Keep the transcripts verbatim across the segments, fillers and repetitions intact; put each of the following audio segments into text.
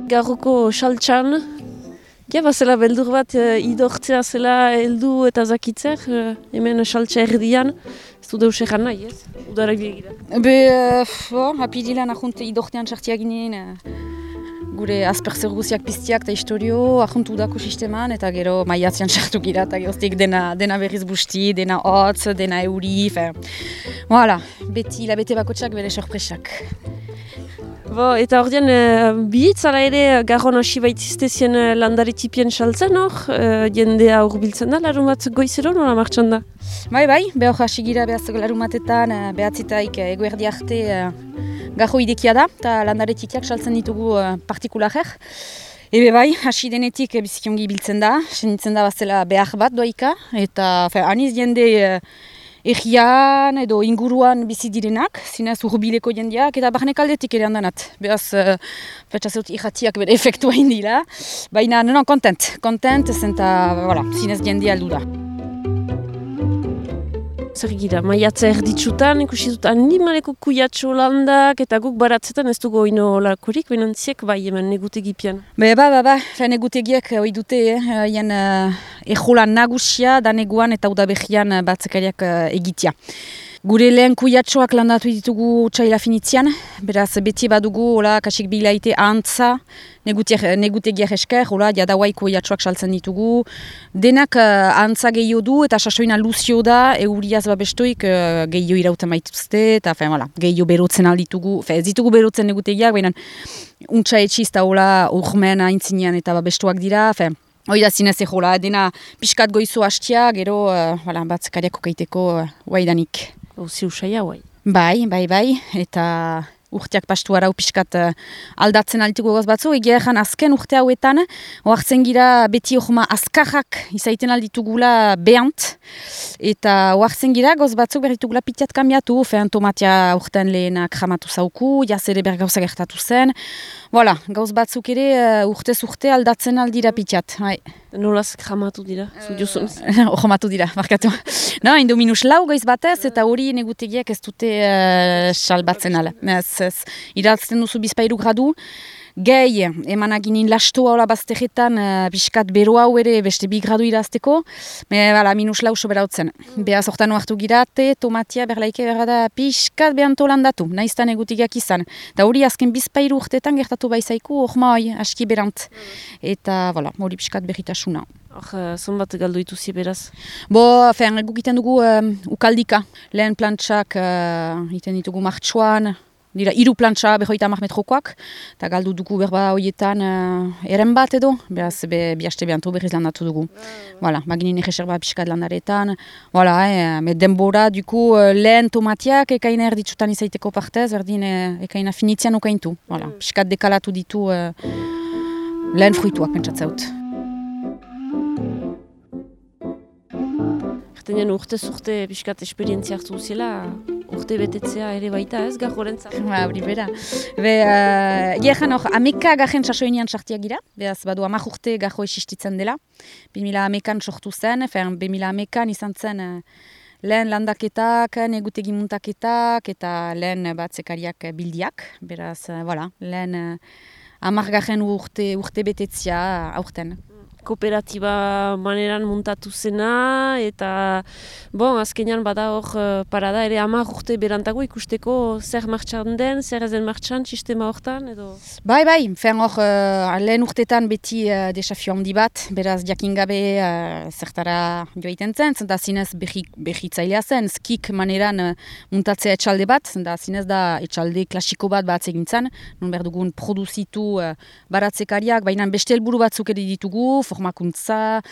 garroko saltxan. Ja, bazela beldur bat uh, idortzea zela heldu eta zakitzer, uh, hemen saltxa erdian. Ez du deus egan nahi, ez? Udarak begira. Be, uh, apirilan ahunt idortean sartiak ginen, uh, gure asperzer guziak piztiak eta historio, ahunt udako sisteman, eta gero maiatzean sartu gira, eta geroztik dena, dena berriz busti, dena hotz, dena euri, fe. Voilà, beti labete bakotxak bere sorpresak. Bo, eta hor dian, uh, bihitzala ere garron hasi baitziztezien uh, landare tipien saltzen hor, uh, jendea urbiltzen da, larun bat goizero nola martxan da? Bai, bai, behar hasi gira behaz larun batetan, uh, behatzitaik uh, eguerdi arte uh, garro idekia da, eta landare tipiak saltzen ditugu uh, partikularek. Ebe bai, hasi denetik uh, bizikiongi biltzen da, senitzen da bazela behar bat doaika, eta fe, aniz jende uh, Egian edo inguruan bizi direnak, zinez urbileko jendeak, eta barnek aldetik ere handanat. Beraz, uh, petxazeut irratiak bere efektua indila. Baina, non, kontent, kontent, zenta, voilà, zinez jendea aldu da. Zer gira, maiatza erditsutan, ikusi dut animaleko kuiatxo landak, eta guk baratzetan ez dugu oino lakorik, baina ziek bai hemen negutegipian. Be, ba, ba, ba, negutegiak hoi dute, eh, hien uh, ejolan nagusia, daneguan eta udabehian uh, batzekariak uh, egitea. Gure lehen kuiatxoak landatu ditugu txaila finitzian, beraz beti badugu, hola, kasik bilaite antza, negutegiak esker, hola, jadauai kuiatxoak saltzen ditugu. Denak uh, antza gehiago du eta sasoina luzio da, euriaz babestoik uh, gehiago irauten maituzte, eta fe, voilà, gehiago berotzen alditugu, fe, ez ditugu berotzen negutegiak, baina untsa etxiz eta hola, urmen aintzinean eta babestoak dira, fe. Hoi da zinez egola, dena pixkat goizu hastia, gero uh, voilà, batzekariako kaiteko uh, guaidanik. Hauzi usaia, guai. Bai, bai, bai, eta urteak pastu arau pixkat uh, aldatzen altiko goz batzu, egia ezan azken urte hauetan, oartzen gira beti ohma azkarrak izaiten alditugula behant, eta oartzen gira goz batzuk berritugula pitiat kambiatu, fean tomatia urtean lehenak jamatu zauku, jaz ere bergauza gertatu zen, voilà, gauz batzuk ere uh, urtez urte aldatzen aldira pitiat, bai. Nolaz jamatu dira, zu jozunez? Jamatu dira, markatu. No, indo minus lau goiz batez, eta hori negutegiak ez dute uh, salbatzen ala. Ez, ez, iratzen duzu bizpairu gradu, gehi, emanak ginen lastoa hola baztegetan, uh, biskat bero hau ere beste bi gradu irazteko, me, bala, minus lau soberautzen. Mm. Beaz hortan hartu girate, tomatia berlaike berada piskat behanto landatu, naiztan negutegiak izan. Da hori azken bizpairu urtetan gertatu baizaiku, orma hoi, aski berant. Mm. Eta, voilà, hori piskat berritasuna. Hor, uh, zonbat galdu ituzi beraz? Bo, fean, guk iten dugu um, ukaldika. Lehen plantxak uh, iten ditugu martxoan, dira hiru plantxa behoita hamar metrokoak, eta galdu dugu berba horietan uh, eren bat edo, beraz be, bihaste behantu berriz landatu dugu. Voilà, baginin egeserba pixkat landaretan. Voilà, eh, me denbora, duku, uh, lehen tomatiak ekaina erditsutan izaiteko partez, berdin eh, ekaina finitzian okaintu. Voilà, pixkat dekalatu ditu uh, lehen fruituak pentsatzeut. Ertenen urtez urte pixkat esperientzia hartu zela, urte betetzea ere baita ez, garrorentzat? Ba, hori bera. Be, uh, Iehan hor, ameka garen sasoinean sartiak gira, behaz badu amak urte garro esistitzen dela. bi mila amekan sortu zen, fean, bi mila amekan izan zen uh, lehen landaketak, negutegi muntaketak, eta lehen batzekariak bildiak. Beraz, uh, voilà, lehen uh, amak garen urte, urte betetzea aurten. Kooperatiba maneran muntatu zena, eta bon, azkenean bada hor parada ere hamar urte berantago ikusteko zer martxan den, zer ez den martxan, sistema hortan, edo? Bai, bai, fen hor uh, lehen urtetan beti uh, desafio handi bat, beraz jakin gabe uh, zertara joaiten zen, zenta zinez behitzailea zen, skik maneran uh, muntatzea etxalde bat, zenta zinez da etxalde klasiko bat bat egintzen, nun behar dugun produzitu uh, baratzekariak, baina beste helburu batzuk ere ditugu, formakuntza,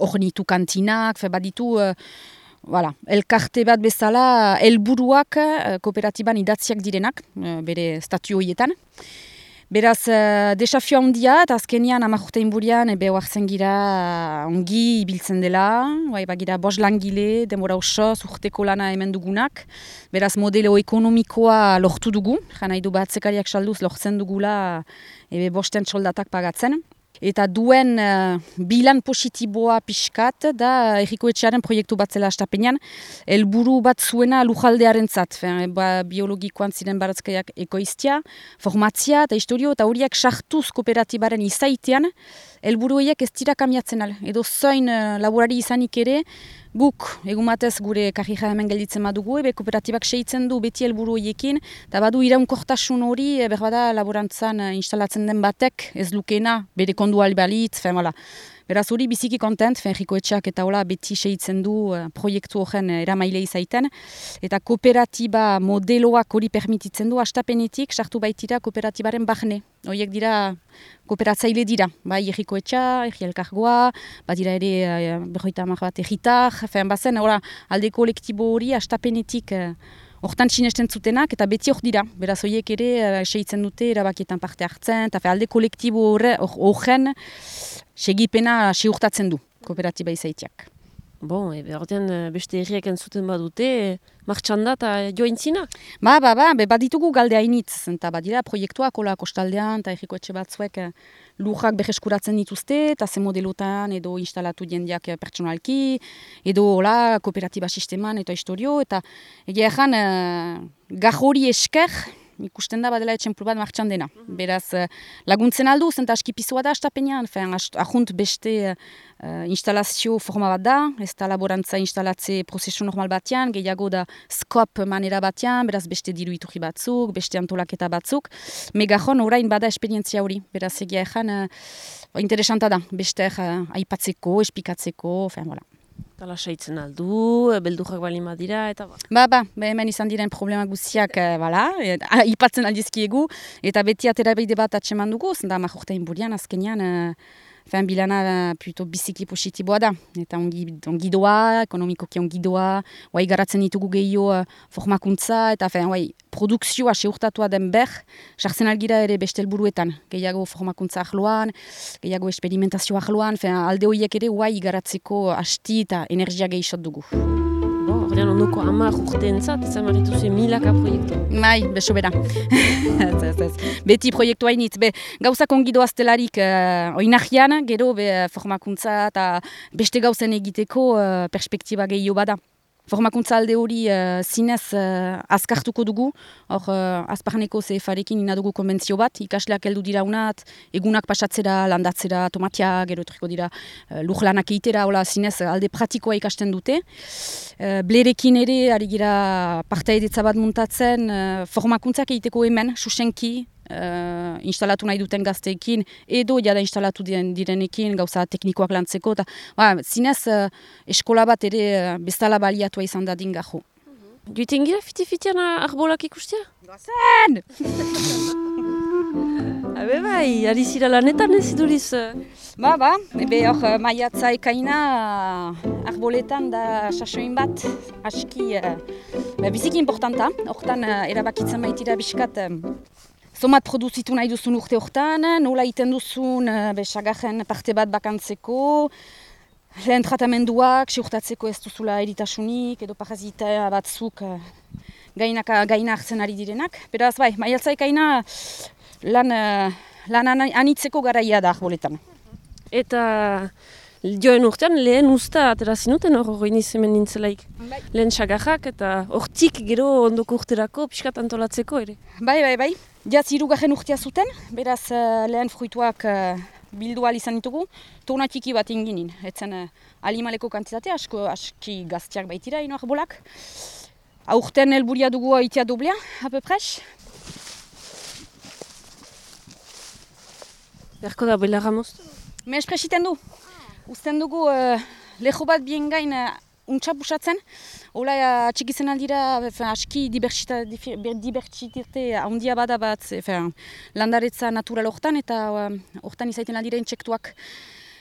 ornitu kantinak, fe baditu, uh, voilà, elkarte bat bezala, helburuak uh, kooperatiban idatziak direnak, uh, bere statu horietan. Beraz, uh, desafio handia, eta azkenian amak inburian, ebe oartzen gira uh, ongi ibiltzen dela, bai, bagira bos langile, denbora osoz, urteko lana hemen dugunak. Beraz, modelo ekonomikoa lortu dugu, jana idu batzekariak salduz lortzen dugula, ebe bosten soldatak pagatzen. Eta duen uh, bilan positiboa pixkat da Herriko Etxearen proiektu bat zela astapenean, helburu bat zuena lujaldearen zat, ba, biologikoan ziren baratzkaiak ekoiztia, formatzia eta historio, eta horiek sartuz kooperatibaren izaitean, helburu horiek ez dira kamiatzen al. Edo zoin uh, laborari izanik ere, guk, egun batez gure karrika hemen gelditzen badugu, ebe kooperatibak seitzen du beti helburu horiekin, eta badu iraunkortasun hori, e, berbada laborantzan uh, instalatzen den batek, ez lukena, bere kondu albalitz, fen, voilà. Beraz hori biziki kontent, Herriko Etxeak eta hola beti seitzen du uh, proiektu horren uh, eramaile izaiten, eta kooperatiba modeloak hori permititzen du, astapenetik sartu baitira kooperatibaren bahne. Horiek dira kooperatzaile dira, bai Herriko Etxea, Herri Elkargoa, bat dira ere uh, berroita hamar bat erritar, fen bazen, hola, alde kolektibo hori astapenetik uh, hortan sinesten zutenak, eta beti hor dira. Beraz, horiek ere, uh, seitzen dute, erabakietan parte hartzen, eta alde kolektibo horren segipena siurtatzen du, kooperatiba izaitiak. Bon, ebe ordean beste herriak entzuten badute, martxan da eta joaintzina? Ba, ba, ba, be, baditugu galde hainitz, eta badira proiektuak, hola kostaldean, eta Herriko Etxe batzuek lurrak berreskuratzen dituzte, eta ze modelotan, edo instalatu jendeak pertsonalki, edo hola kooperatiba sisteman, eta historio, eta egia ezan, uh, gajori esker, ikusten da badela etxemplu bat martxan dena. Beraz, laguntzen aldu, zenta askipizua da astapenean, ahunt beste uh, instalazio forma bat da, ez da laborantza instalatze prozesu normal batean, gehiago da skop manera batean, beraz beste diru iturri batzuk, beste antolaketa batzuk, megajon orain bada esperientzia hori, beraz egia ezan, uh, interesanta da, beste uh, aipatzeko, espikatzeko, fen, voilà. Tala saitzen aldu, beldurrak balin badira, eta ba. Ba, ba, hemen izan diren problema guziak, e, bala, e, ipatzen aldizkiegu, eta beti aterabeide bat atseman dugu, zenda majortain burian, azkenean, e, fen bilana puto biziki positiboa da, eta ongi, ongi doa, ekonomikoki ongi doa, oai garatzen ditugu gehiago formakuntza, eta fen, oai, produkzioa seurtatua den ber, sartzen algira ere beste helburuetan, gehiago formakuntza ahloan, gehiago experimentazio ahloan, fen, alde horiek ere oai garatzeko asti eta energia gehiagot dugu. Bon, ordean ondoko hamar urteentzat, izan marituzu milaka proiektu. Bai, beso bera. Beti proiektu hainitz, be, gauzak ongi doaztelarik uh, oinahian, gero be, formakuntza eta beste gauzen egiteko uh, perspektiba gehiago bada. Formakuntza alde hori uh, zinez uh, azkartuko dugu, hor uh, azparneko C F arekin inadugu konbentzio bat, ikasleak heldu dira unat, egunak pasatzera, landatzera, tomatia, gero etorriko dira uh, lujlanak egitera, hola zinez alde pratikoa ikasten dute. Uh, blerekin ere, ari gira partaidetza bat muntatzen, uh, formakuntzak egiteko hemen, susenki, Uh, instalatu nahi duten gazteekin, edo jada instalatu direnekin, gauza teknikoak lantzeko, eta ba, zinez uh, eskola bat ere uh, bezala baliatua izan dadin gajo. Mm-hmm. Duiten gira fiti-fitian arbolak ikustia? Doazen! Habe bai, ari zira lanetan ez iduriz? Ba, ba, ebe hor maiatza ekaina uh, arboletan da sasoin bat, aski uh, biziki importanta, hortan uh, erabakitzen baitira biskat um, Zomat produzitu nahi duzun urte hortan, nola iten duzun besagarren parte bat bakantzeko, lehen tratamenduak, seurtatzeko ez duzula eritasunik, edo parazita batzuk gainaka, gaina hartzen ari direnak. Beraz, bai, maiatza ekaina lan, lan anitzeko garaia da arboletan. Eta joen urtean lehen usta atera zinuten hor hori nizemen nintzelaik. Bai. Lehen sagarrak eta hortik gero ondoko urterako pixkat antolatzeko ere. Bai, bai, bai. Jaz hirugarren urtea zuten, beraz uh, lehen fruituak uh, bildu ahal izan ditugu, tona txiki bat inginin. Etzen uh, alimaleko kantitatea, asko aski gaztiak baitira ino arbolak. Aurten helburia dugu aitea doblea, ape pres. Berko da belarra moztu? Me espresiten du. Uzten dugu uh, leho bat bien gain uh, untsa busatzen. Ola uh, txikizen aldira aski dibertsitate handia bada bat fin, landaretza natural hortan eta hortan uh, izaiten aldira intsektuak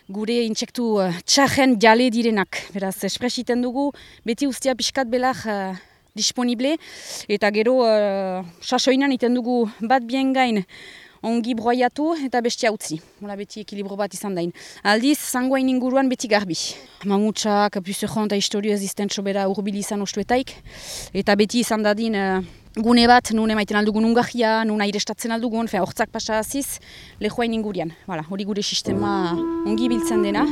gure intsektu uh, txarren jale direnak. Beraz, espresiten dugu beti ustia pixkat belar uh, disponible eta gero uh, sasoinan iten dugu bat bien gain ongi broiatu eta bestia utzi. Hola beti ekilibro bat izan dain. Aldiz, zangoain inguruan beti garbi. Mamutsak, puzeron eta historio existentzo bera urbil izan ostuetaik. Eta beti izan dadin uh, gune bat, nun emaiten aldugun ungahia, nun airestatzen aldugun, fe, hortzak pasa aziz, lehoain ingurian. Voilà, hori gure sistema ongi biltzen dena.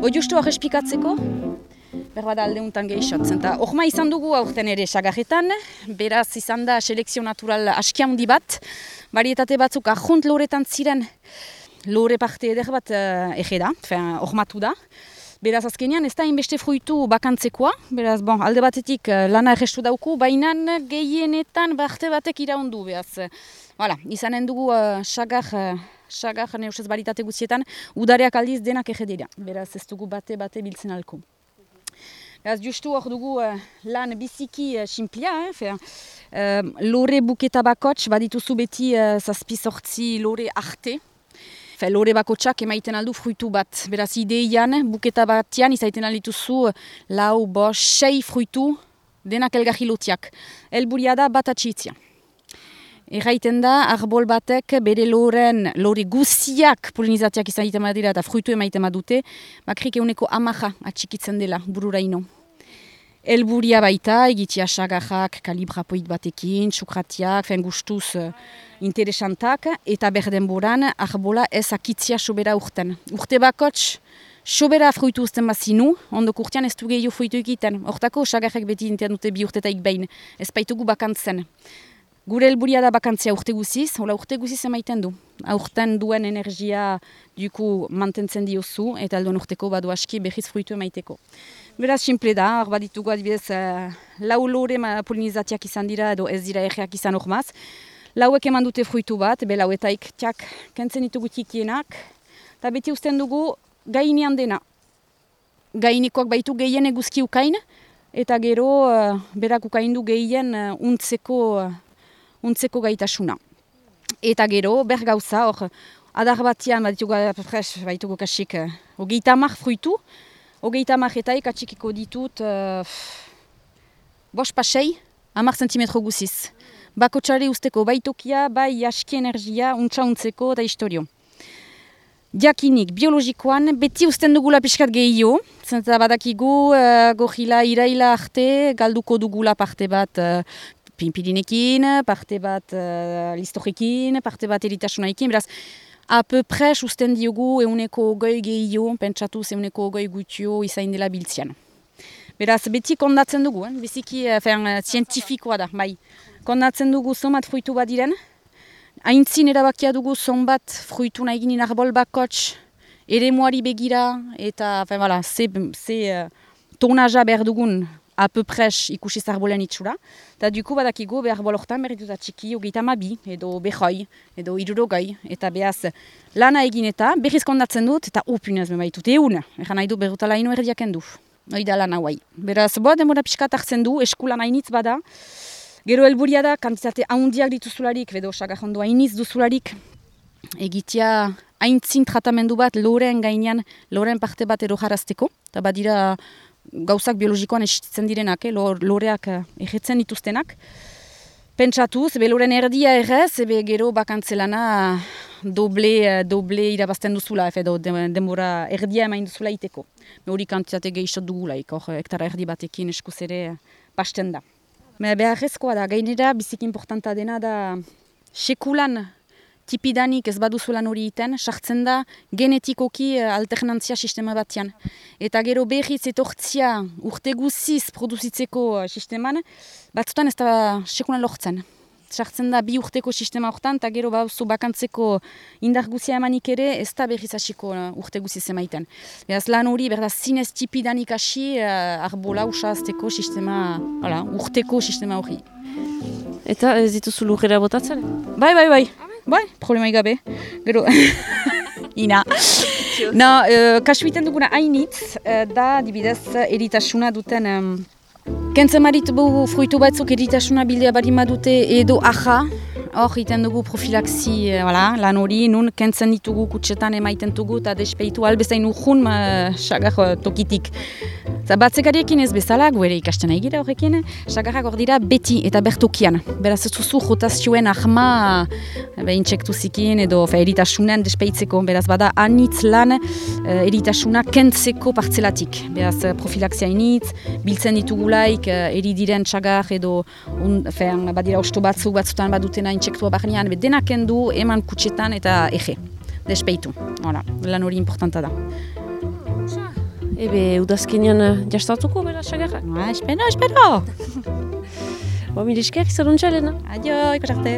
Bo justu arrespikatzeko, berbada alde untan gehixotzen. Horma izan dugu aurten ere sagarretan, beraz izan da selekzio natural aski handi bat, varietate batzuk ahunt loretan ziren, lore parte eder bat uh, ege da, hormatu da. Beraz azkenean ez da inbeste fruitu bakantzekoa, beraz bon, alde batetik uh, lana errestu dauku, baina gehienetan barte batek iraundu, beraz. Voilà, izanen dugu uh, sagar, uh, sagar neusez baritate guztietan, udareak aldiz denak ege dira, beraz ez dugu bate-bate biltzen alko. Beraz, justu hor dugu uh, lan biziki uh, simplia, eh, uh, lore buketa bakots, badituzu beti uh, zazpi sortzi lore arte. Fe, lore bakotsak emaiten aldu fruitu bat. Beraz, ideian, buketa batian izaiten aldituzu lau, bos, sei fruitu denak elgarri lotiak. Elburia da bat atxitzia. Erraiten da, arbol batek bere loren, lore guziak polinizatiak izaiten badira eta fruitu emaiten badute, bakrik euneko amaja atxikitzen dela bururaino. Elburia baita, egitia sagarrak, kalibrapoit batekin, txukratiak, fen gustuz uh, interesantak, eta berdenboran arbola ez akitzia sobera urten. Urte bakots, sobera fruitu uzten bazinu, ondok urtean ez du gehiago fruitu egiten. Hortako sagarrak beti intean dute bi urtetaik behin, ez baitugu bakantzen. Gure helburia da bakantzia urte guziz, hola urte guziz emaiten du. Aurten duen energia duku mantentzen diozu, eta alduen urteko badu aski behiz fruitu emaiteko. Beraz, simple da, hor baditugu adibidez, uh, lau lore polinizatiak izan dira, edo ez dira erreak izan hormaz. Lauek eman dute fruitu bat, be lauetaik txak kentzen ditugu tikienak, eta beti usten dugu gainean dena. Gainikoak baitu gehien eguzki ukain, eta gero uh, berak ukaindu gehien uh, untzeko, uh, untzeko gaitasuna. Eta gero, ber gauza, hor, adar batian baditugu, baitugu kasik, uh, hogeita hamar fruitu, hogeita hamaretaik atxikiko ditut uh, bos pasei, hamar zentimetro guziz. Bakotxare usteko baitokia, bai aski energia, untsa untzeko eta historio. Diakinik, biologikoan, beti usten dugula pixkat gehiago, zenta badakigu uh, gorila iraila arte, galduko dugula parte bat uh, pinpirinekin, parte bat uh, listorekin, parte bat eritasunaekin, beraz, a peu près usten diogu euneko goi gehiago, pentsatuz euneko goi gutio izain dela biltzian. Beraz, beti kondatzen dugu, eh? Biziki uh, zientifikoa da, bai. Kondatzen dugu zonbat fruitu bat diren, haintzin erabakia dugu zonbat fruitu nahi ginen arbol bakots, ere moari begira, eta fen, voilà, ze, ze uh, tonaja behar dugun a peu près ikusiz arbolen itxura. Eta duku badakigu behar arbol hortan berritut atxiki hogeita hamabi, edo behoi, edo irurogoi, eta behaz lana egin eta berriz kondatzen dut, eta upinez bebaitut egun, egan nahi du berrutala ino erdiaken du. Hoi da lana guai. Beraz, boa demora pixkat hartzen du, eskulan hainitz bada, gero helburia da, kantitate haundiak dituzularik, edo sagarrondo hainiz duzularik, egitea haintzin tratamendu bat loren gainean, loren parte bat ero jarazteko, eta badira gauzak biologikoan esitzen direnak, eh, loreak egetzen dituztenak. Pentsatuz, be loren erdia errez, ebe gero bakantzelana doble, doble irabazten duzula, edo denbora erdia emain duzula iteko. Hori kantitate gehiagot dugulaik, hor hektara erdi batekin eskuz ere pasten da. Beharrezkoa da, gainera biziki importanta dena da sekulan tipidanik ez baduzulan hori iten, sartzen da genetikoki alternantzia sistema batian. Eta gero berriz etortzia urte guziz produzitzeko sisteman, batzutan ez da sekulan lortzen. Sartzen da bi urteko sistema hortan, eta gero bauzu bakantzeko indar guzia emanik ere, ez da berriz hasiko urte guziz emaiten. Beraz lan hori, berda zinez tipidanik hasi uh, arbola usazteko sistema, hala, urteko sistema hori. Eta ez dituzu lurrera botatzen? Bai, bai, bai. Bai, problema gabe. Gero, ina. No, uh, kasuiten duguna hainitz, uh, da, dibidez, eritasuna duten... Um, Kentzen marit bu fruitu batzuk eritasuna bildea barima dute edo aja, hor iten dugu profilaxi eh, voilà, lan hori, nun kentzen ditugu kutsetan emaiten dugu eta despeitu albezain urjun sagar uh, tokitik. Eta batzekariekin ez bezala, gu ere ikasten nahi gira horrekin, sagarrak hor dira beti eta bertokian. Beraz ez duzu rotazioen ahma intsektuzikin edo fe, eritasunen despeitzeko. Beraz bada anitz lan uh, eritasuna kentzeko partzelatik. Beraz profilaxia initz, biltzen ditugulaik uh, eri diren sagar edo un, fe, badira osto batzuk batzutan badutena intsektua barnean, denak kendu eman kutsetan eta ege, despeitu. Voilà, lan hori importanta da. Ebe, udazkenean jastatuko, bera, sagarrak? Ah, espero, espero! Bo, mire esker, izaruntza, Elena. Adio, ikusarte.